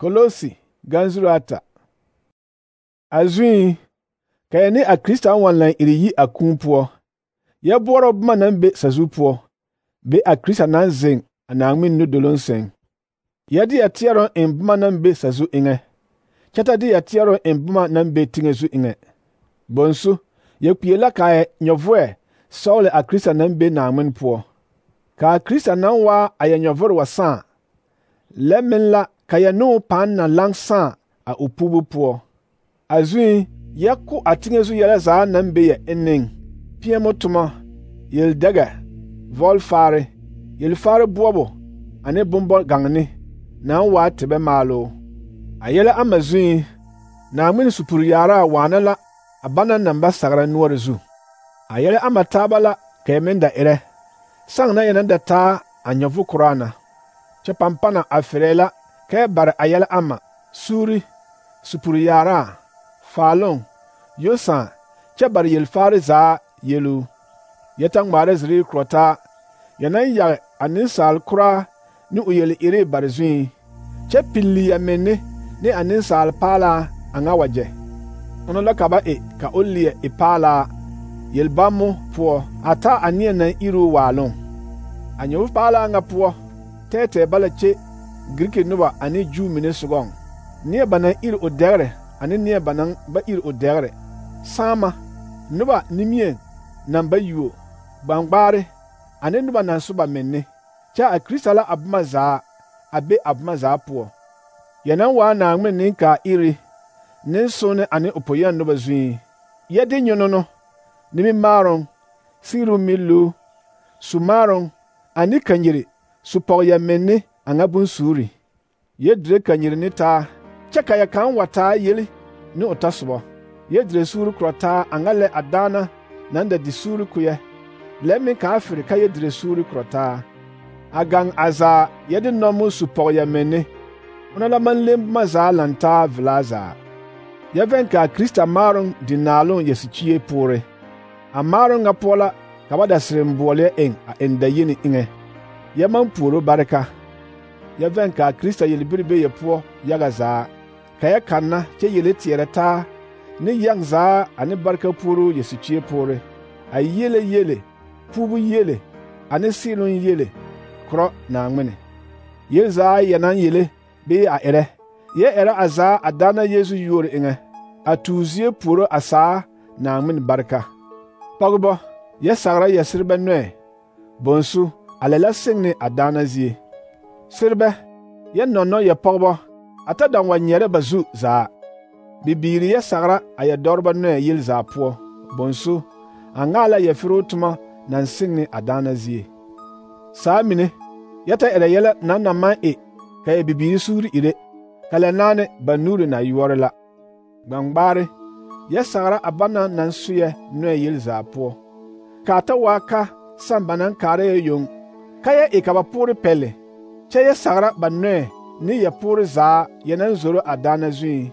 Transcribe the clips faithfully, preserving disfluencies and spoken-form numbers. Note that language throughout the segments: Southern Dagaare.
Kolosi ganzuru ata. Azui kayane a Krista wanlan iri yi a kũũ poɔ. Yɛ boɔrɔ boma naŋ be sazu poɔ, be a Krista naŋ zeŋ a Naaŋmen nudoloŋ sɛŋ. Yɛ de yɛ teɛrɔ eŋ boma naŋ be sazu eŋɛ, kyɛ ta de yɛ teɛrɔ eŋ boma naŋ be teŋɛ zu eŋɛ. Bonsu, yɛ kpie la ka yɛ nyɔvoɛ sɔgele a Krista naŋ be Naaŋmen poɔ. Ka a Krista naŋ waa a yɛ nyɔvore wa sãã, lɛ meŋ la ka yɛ ne o pãã na laŋ sãã a o puubu poɔ. Azui, yɛ ko a teŋɛ zu yɛlɛ zaa naŋ be yɛ enneŋ: peɛmo toma, yel-dɛgɛ, vɔlfaare, yel-faare boɔbo ane bombɔ-gaŋne naŋ waa tebɛ maaloo. A yɛlɛ ama zui, Naaŋmen supuri yaaraa waana la a bana naŋ ba sagra noɔre zu. A yɛlɛ ama taaba la ka yɛ meŋ da erɛ, saŋ na yɛ naŋ da taa a nyɔvu koraa na. Kyɛ pampana a ferɛɛ la ka yɛ bare a yɛlɛ ama suuri, supuri yaaraa, faaloŋ, yosãã, kyɛ bare yel-faare zaa yeluu. Yɛ ta ŋmaara zirii korɔ taa, yɛ naŋ yage a nensaal koraa ne o yel-ire bare zui, kyɛ pilli yɛ menne ne a nensaal paalaa a ŋa wagyɛ. Ona la ka ba e ka o leɛ e paalaa yel-bammo poɔ a taa a neɛ naŋ iri o waaloŋ. A nyɔvu paalaa ŋa poɔ, tɛɛtɛɛ ba la kye Giriki noba ane Juu mine sogɔŋ, neɛ ba naŋ iri o dɛgre ane neɛ ba naŋ ba iri o dɛgre, saama, noba nimieŋ naŋ ba yuo, gbaŋgbaare, ane noba naŋ so ba menne. Kyɛ a Krista la a boma zaa a be a boma zaa poɔ. Yɛ naŋ waa Naaŋmen nenkaa iri, nensonne ane o poyɛŋ noba zui. Yɛ de nyonono, nimimaaroŋ, sigiru miluu, sumaaroŋ ane kanyiri su pɔge yɛ menne a ŋa bonsuuri. Yɛ dire kanyiri ne taa, kyɛ ka yɛ kaŋ wa taa yeli ne o tasobɔ. Yɛ dire suuri korɔ taa a ŋa lɛ a daana naŋ da di suuri koyɛ, lɛ meŋ kaa fere ka yɛ dire suuri korɔ taa. A gaŋ a zaa yɛ de nɔmo su pɔge yɛ menne, ona la maŋ leŋ boma zaa lantaa velaa zaa. Yɛ vɛŋ ka a Krista maaroŋ di naaloŋ yɛ sikyie poore. A maaroŋ ŋa poɔ la ka ba da sereŋ-boɔleɛ eŋ a eŋ dayeni eŋɛ. Yɛ maŋ puoro bareka. Yɛ vɛŋ ka a Krista yelbiri be yɛ poɔ yaga zaa, ka yɛ kanna kyɛ yele teɛrɛ taa ne yɛŋ zaa ane bareka puoroo yɛ sikyie poore, a yele yele, puubu yele ane seeloŋ yele korɔ Naaŋmene. Yel zaa yɛ naŋ yele bee a erɛ, yɛ erɛ a zaa a daana Yeesu yuori eŋɛ, a tuu zie puoro a saa Naaŋmen bareka. Pɔgebɔ, yɛ sagra yɛ serebɛ nɔɛ. Bonsu, a lɛ la seŋ ne a daana zie. Serebɛ, yɛ nɔnnɔ yɛ pɔgebɔ, a ta daŋ wa nyɛrɛ ba zu zaa. Bibiiri, yɛ sagra a yɛ dɔrebɔ nɔɛ yel zaa poɔ. Bonsu, a ŋaa la yɛ feroo toma naŋ seŋ ne a daana zie. Saa mine, yɛ ta erɛ yɛlɛ naŋ na maŋ e ka yɛ bibiiri suuri ire, ka lɛ naane ba nuuri na yoɔre la. Gbaŋgbaare, yɛ sagra a bana naŋ so yɛ nɔɛ yel zaa poɔ. Kaa ta waa ka saŋ ba naŋ kaara yɛ yoŋ, ka yɛ e ka ba poore pɛlle, kyɛ yɛ sagra ba nɔɛ ne yɛ poore zaa yɛ naŋ zoro a daana zuiŋ.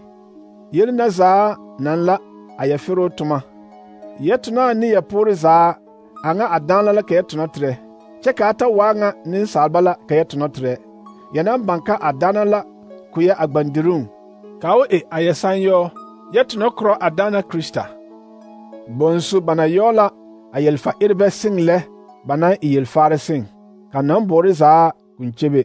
Yel na zaa naŋ la a yɛ feroo toma. Yɛ tonaa ne yɛ poore zaa a ŋa a daana la ka yɛ tonɔ terɛ, kyɛ kaa ta waa ŋa nensaalba la ka yɛ tonɔ terɛ. Yɛ naŋ baŋ ka a daana la ko yɛ a gbandiruŋ, ka o e a yɛ sanyɔɔ, yɛ tonɔ korɔ a daana Krista. Bonsu, ba na yɔɔ la a yelfa erebɛ seŋ lɛ ba naŋ e yelfaare seŋ, ka nambɔɔre zaa k'un kyebe.